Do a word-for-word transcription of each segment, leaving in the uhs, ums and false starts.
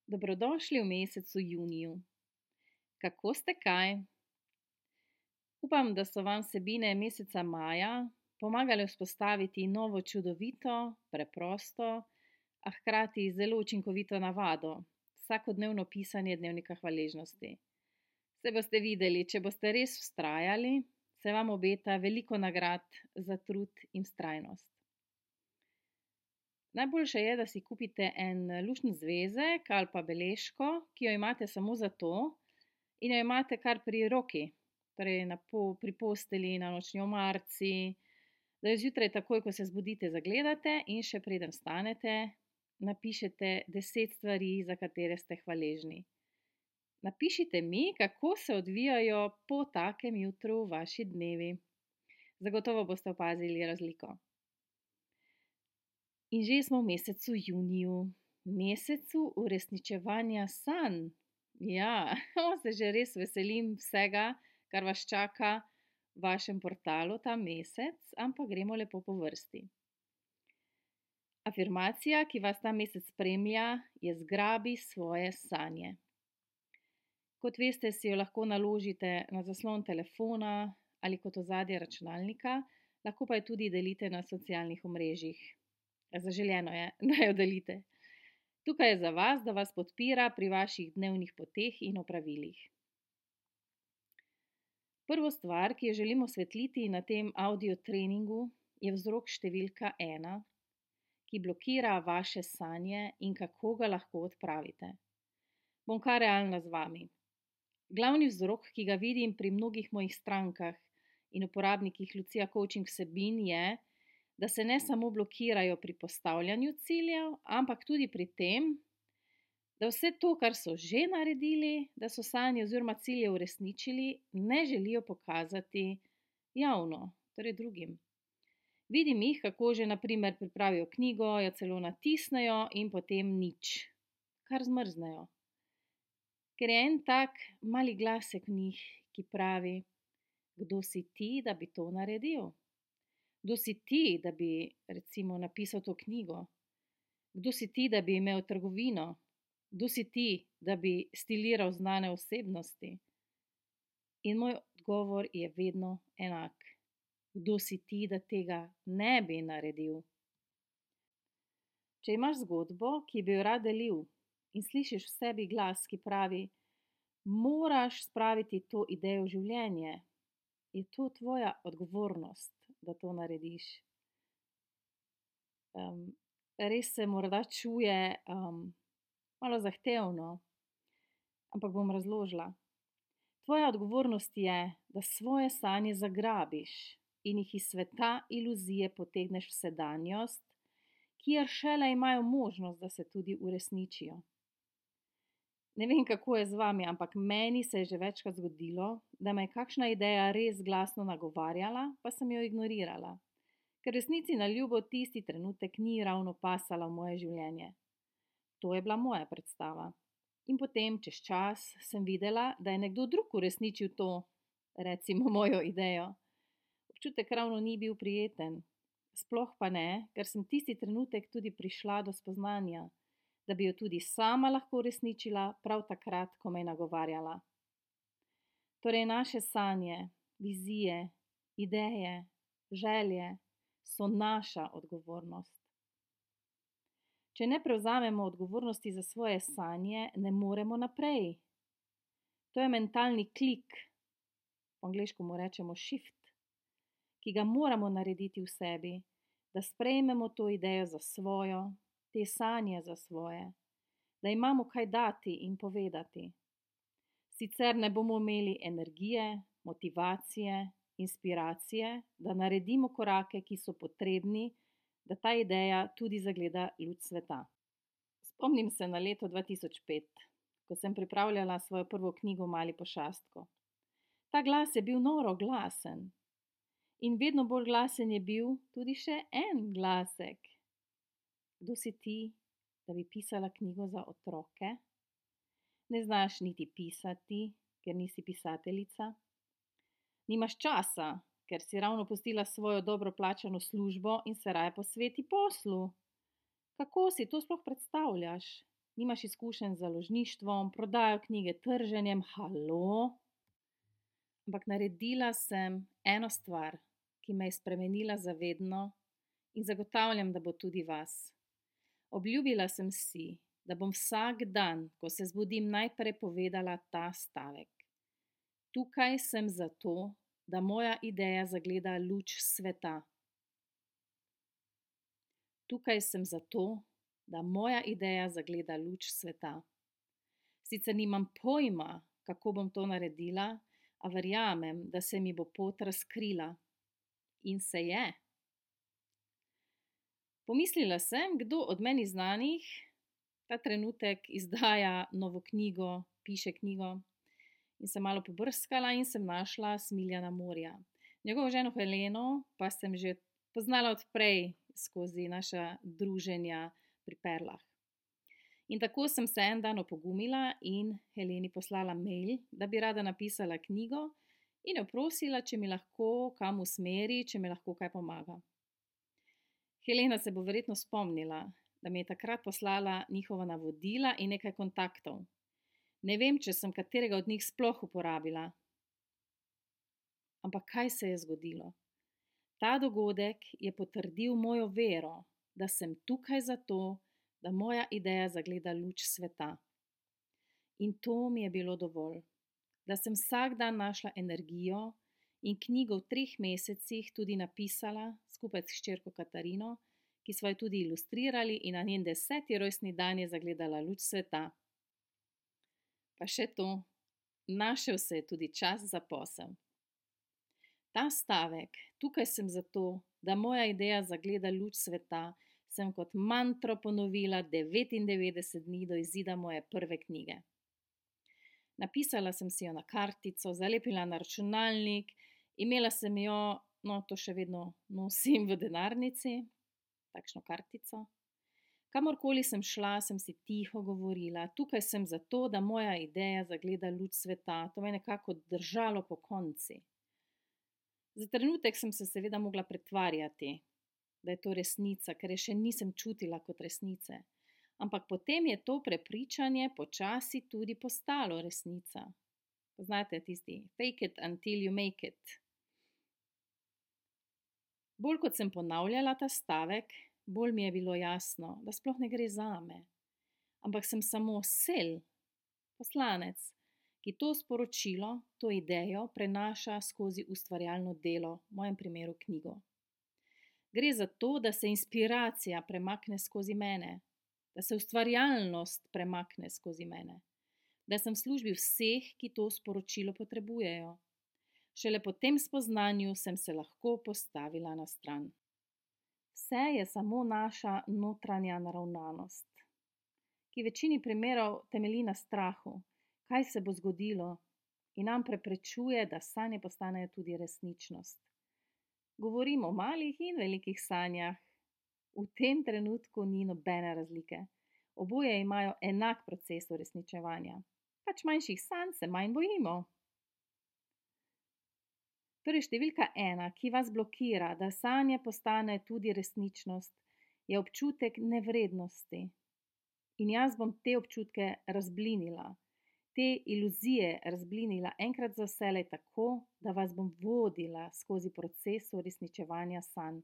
Dobrodošli v mesecu juniju. Kako ste kaj? Upam, da so vam vsebine meseca maja pomagale vzpostaviti novo čudovito, preprosto, a hkrati zelo učinkovito navado, vsakodnevno pisanje dnevnika hvaležnosti. Saj boste videli, če boste res vztrajali, se vam obeta veliko nagrad za trud in vztrajnost. Najboljše je, da si kupite en luštni zvezek ali pa beležko, ki jo imate samo zato in jo imate kar pri roki, torej na po, pri postelji, na nočni omarici, da jo zjutraj takoj, ko se zbudite, zagledate in še preden vstanete, napišete deset stvari, za katere ste hvaležni. Napišite mi, kako se odvijajo po takem jutru vaši dnevi. Zagotovo boste opazili razliko. In že smo v mesecu juniju, mesecu uresničevanja sanj. Ja, se že res veselim vsega, kar vas čaka v vašem portalu ta mesec, ampak gremo lepo po vrsti. Afirmacija, ki vas ta mesec spremlja, je zgrabi svoje sanje. Kot veste, si jo lahko naložite na zaslon telefona ali kot ozadje računalnika, lahko pa jo tudi delite na socialnih omrežjih. Zaželeno je, da jo delite. Tukaj je za vas, da vas podpira pri vaših dnevnih poteh in opravilih. Prvo stvar, ki jo želimo osvetliti na tem audio treningu, je vzrok številka ena, ki blokira vaše sanje in kako ga lahko odpravite. Bom kar realna z vami. Glavni vzrok, ki ga vidim pri mnogih mojih strankah in uporabnikih Lucija Coaching vsebin je, da se ne samo blokirajo pri postavljanju ciljev, ampak tudi pri tem, da vse to, kar so že naredili, da so sanje oziroma cilje uresničili, ne želijo pokazati javno, torej drugim. Vidim jih, kako že na primer pripravijo knjigo, jo celo natisnejo in potem nič, kar zmrznejo. Ker je en tak mali glasek v njih, ki pravi, kdo si ti, da bi to naredil? Kdo si ti, da bi recimo napisal to knjigo? Kdo si ti, da bi imel trgovino? Kdo si ti, da bi stiliral znane osebnosti? In moj odgovor je vedno enak. Kdo si ti, da tega ne bi naredil? Če imaš zgodbo, ki bi jo rad delil in slišiš v sebi glas, ki pravi, moraš spraviti to idejo v življenje, je to tvoja odgovornost, da to narediš. Um, res se morda čuje um, malo zahtevno, ampak bom razložila. Tvoja odgovornost je, da svoje sanje zagrabiš in jih iz sveta iluzije potegneš v sedanjost, kjer šele imajo možnost, da se tudi uresničijo. Ne vem, kako je z vami, ampak meni se je že večkrat zgodilo, da me je kakšna ideja res glasno nagovarjala, pa sem jo ignorirala, ker resnici na ljubo tisti trenutek ni ravno pasala v moje življenje. To je bila moja predstava. In potem, čez čas, sem videla, da je nekdo drug uresničil to, recimo mojo idejo. Občutek ravno ni bil prijeten. Sploh pa ne, ker sem tisti trenutek tudi prišla do spoznanja, da bi jo tudi sama lahko uresničila prav takrat, ko me je nagovarjala. Torej naše sanje, vizije, ideje, želje so naša odgovornost. Če ne prevzamemo odgovornosti za svoje sanje, ne moremo naprej. To je mentalni klik, po angleško mu rečemo shift, ki ga moramo narediti v sebi, da sprejmemo to idejo za svojo, te sanje za svoje, da imamo kaj dati in povedati. Sicer ne bomo imeli energije, motivacije, inspiracije, da naredimo korake, ki so potrebni, da ta ideja tudi zagleda luč sveta. Spomnim se na leto dva tisoč pet, ko sem pripravljala svojo prvo knjigo Mali pošastko. Ta glas je bil noro glasen. In vedno bolj glasen je bil tudi še en glasek. Kdo si ti, da bi pisala knjigo za otroke? Ne znaš niti pisati, ker nisi pisateljica. Nimaš časa, ker si ravno pustila svojo dobro plačano službo in se raje posveti poslu. Kako si to sploh predstavljaš? nimaš izkušenj z založništvom, prodajo knjige, trženjem, halo. Ampak naredila sem eno stvar, ki me je spremenila za vedno in zagotavljam, da bo tudi vas. Obljubila sem si, da bom vsak dan, ko se zbudim, najprej povedala ta stavek. Tukaj sem zato, da moja ideja zagleda luč sveta. Tukaj sem zato, da moja ideja zagleda luč sveta. Sicer nimam pojma, kako bom to naredila, a verjamem, da se mi bo pot razkrila. In se je. Pomislila sem, kdo od meni znanih ta trenutek izdaja novo knjigo, piše knjigo. In sem malo pobrskala in sem našla Smiljana Morja. Njegovo ženo Heleno pa sem že poznala odprej skozi naša druženja pri Perlah. In tako sem se en dan opogumila in Heleni poslala mail, da bi rada napisala knjigo in jo prosila, če mi lahko kam usmeri, če mi lahko kaj pomaga. Helena se bo verjetno spomnila, da mi je takrat poslala njihova navodila in nekaj kontaktov. Ne vem, če sem katerega od njih sploh uporabila. Ampak kaj se je zgodilo? Ta dogodek je potrdil mojo vero, da sem tukaj zato, da moja ideja zagleda luč sveta. In to mi je bilo dovolj, da sem vsak dan našla energijo in knjigo v treh mesecih tudi napisala skupaj s hčerko Katarino, ki smo jo tudi ilustrirali in na njen deseti rojstni dan je zagledala luč sveta. Pa še to, našel se je tudi čas za posel. Ta stavek, tukaj sem zato, da moja ideja zagleda luč sveta, sem kot mantro ponovila devetindevetdeset dni do izida moje prve knjige. Napisala sem si jo na kartico, zalepila na računalnik, imela sem jo, no to še vedno nosim v denarnici, takšno kartico. Kamorkoli sem šla, sem si tiho govorila, tukaj sem zato, da moja ideja zagleda luč sveta, to me je nekako držalo pokonci. Za trenutek sem se seveda mogla pretvarjati, da je to resnica, ker je še nisem čutila kot resnice. Ampak potem je to prepričanje počasi tudi postalo resnica. Poznate tisti fake it until you make it. Bolj kot sem ponavljala ta stavek, bolj mi je bilo jasno, da sploh ne gre zame. Ampak sem samo sel, poslanec, ki to sporočilo, to idejo prenaša skozi ustvarjalno delo, v mojem primeru knjigo. Gre za to, da se inspiracija premakne skozi mene, da se ustvarjalnost premakne skozi mene, da sem v službi vseh, ki to sporočilo potrebujejo. Šele po tem spoznanju sem se lahko postavila na stran. Vse je samo naša notranja naravnanost, ki v večini primerov temelji na strahu, kaj se bo zgodilo, in nam preprečuje, da sanje postanejo tudi resničnost. Govorim o malih in velikih sanjah. V tem trenutku ni nobene razlike. Oboje imajo enak proces uresničevanja. Pač manjših sanj se manj bojimo. Torej številka ena, ki vas blokira, da sanje postane tudi resničnost, je občutek nevrednosti. In jaz bom te občutke razblinila, te iluzije razblinila enkrat za vselej tako, da vas bom vodila skozi proces uresničevanja sanj.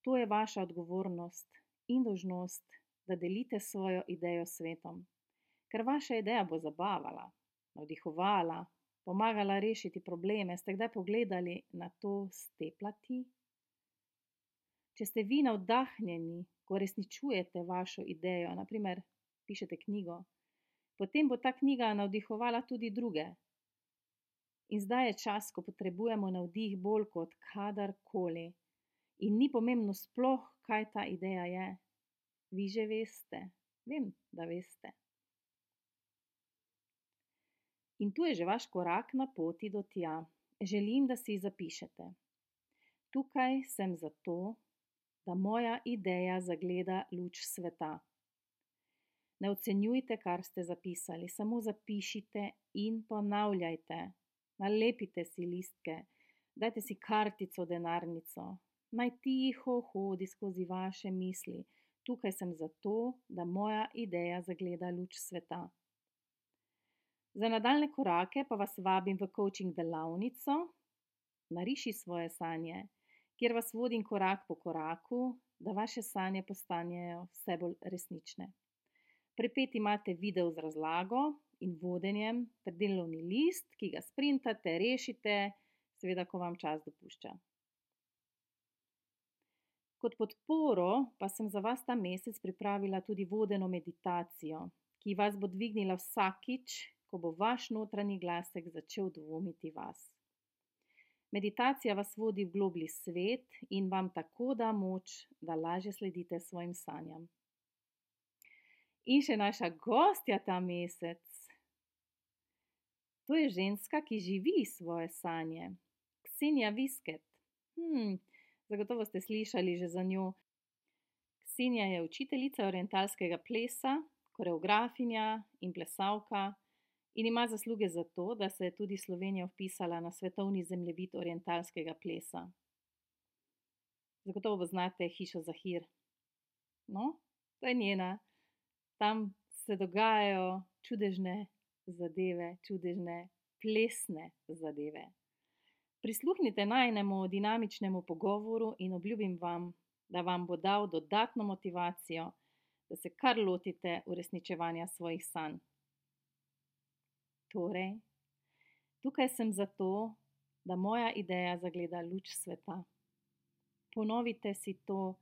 To je vaša odgovornost in dolžnost, da delite svojo idejo s svetom. Ker vaša ideja bo zabavala, navdihovala, pomagala rešiti probleme. Ste kdaj pogledali na to s te plati? Če ste vi navdahnjeni, ko resničujete vašo idejo, na primer pišete knjigo, potem bo ta knjiga navdihovala tudi druge. In zdaj je čas, ko potrebujemo navdih bolj kot kadarkoli. In ni pomembno sploh, kaj ta ideja je. Vi že veste, vem, da veste. In tu je že vaš korak na poti do tja. Želim, da si zapišete. Tukaj sem zato, da moja ideja zagleda luč sveta. Ne ocenjujte, kar ste zapisali, samo zapišite in ponavljajte. Nalepite si listke, dajte si kartico v denarnico. Naj tiho hodi skozi vaše misli. Tukaj sem zato, da moja ideja zagleda luč sveta. Za nadaljne korake pa vas vabim v coaching delavnico Nariši svoje sanje, kjer vas vodim korak po koraku, da vaše sanje postanejo vse bolj resnične. Pripet imate video z razlago in vodenjem ter delovni list, ki ga sprintate, rešite, seveda, ko vam čas dopušča. Kot podporo pa sem za vas ta mesec pripravila tudi vodeno meditacijo, ki vas bo dvignila vsakič, ko bo vaš notranji glasek začel dvomiti vas. Meditacija vas vodi v globlji svet in vam tako da moč, da lažje sledite svojim sanjam. In še naša gostja ta mesec. To je ženska, ki živi svoje sanje. Ksenija Visket. Hmm, zagotovo ste slišali že za njo. Ksenija je učiteljica orientalskega plesa, koreografinja in plesalka in ima zasluge za to, da se je tudi Slovenija vpisala na svetovni zemljevid orientalskega plesa. Zagotovo poznate hišo Zahir. No, to je njena. Tam se dogajajo čudežne zadeve, čudežne plesne zadeve. Prisluhnite najinemu dinamičnemu pogovoru in obljubim vam, da vam bo dal dodatno motivacijo, da se kar lotite uresničevanja svojih sanj. Torej, tukaj sem zato, da moja ideja zagleda luč sveta. Ponovite si to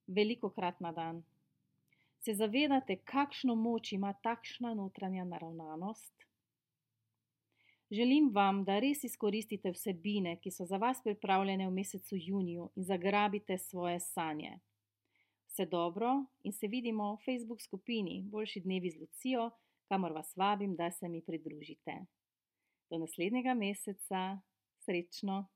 velikokrat na dan. Se zavedate, kakšno moč ima takšna notranja naravnanost? Želim vam, da res izkoristite vsebine, ki so za vas pripravljene v mesecu juniju in zagrabite svoje sanje. Vse dobro in se vidimo v Facebook skupini Boljši dnevi z Lucijo, kamor vas vabim, da se mi pridružite. Do naslednjega meseca. Srečno!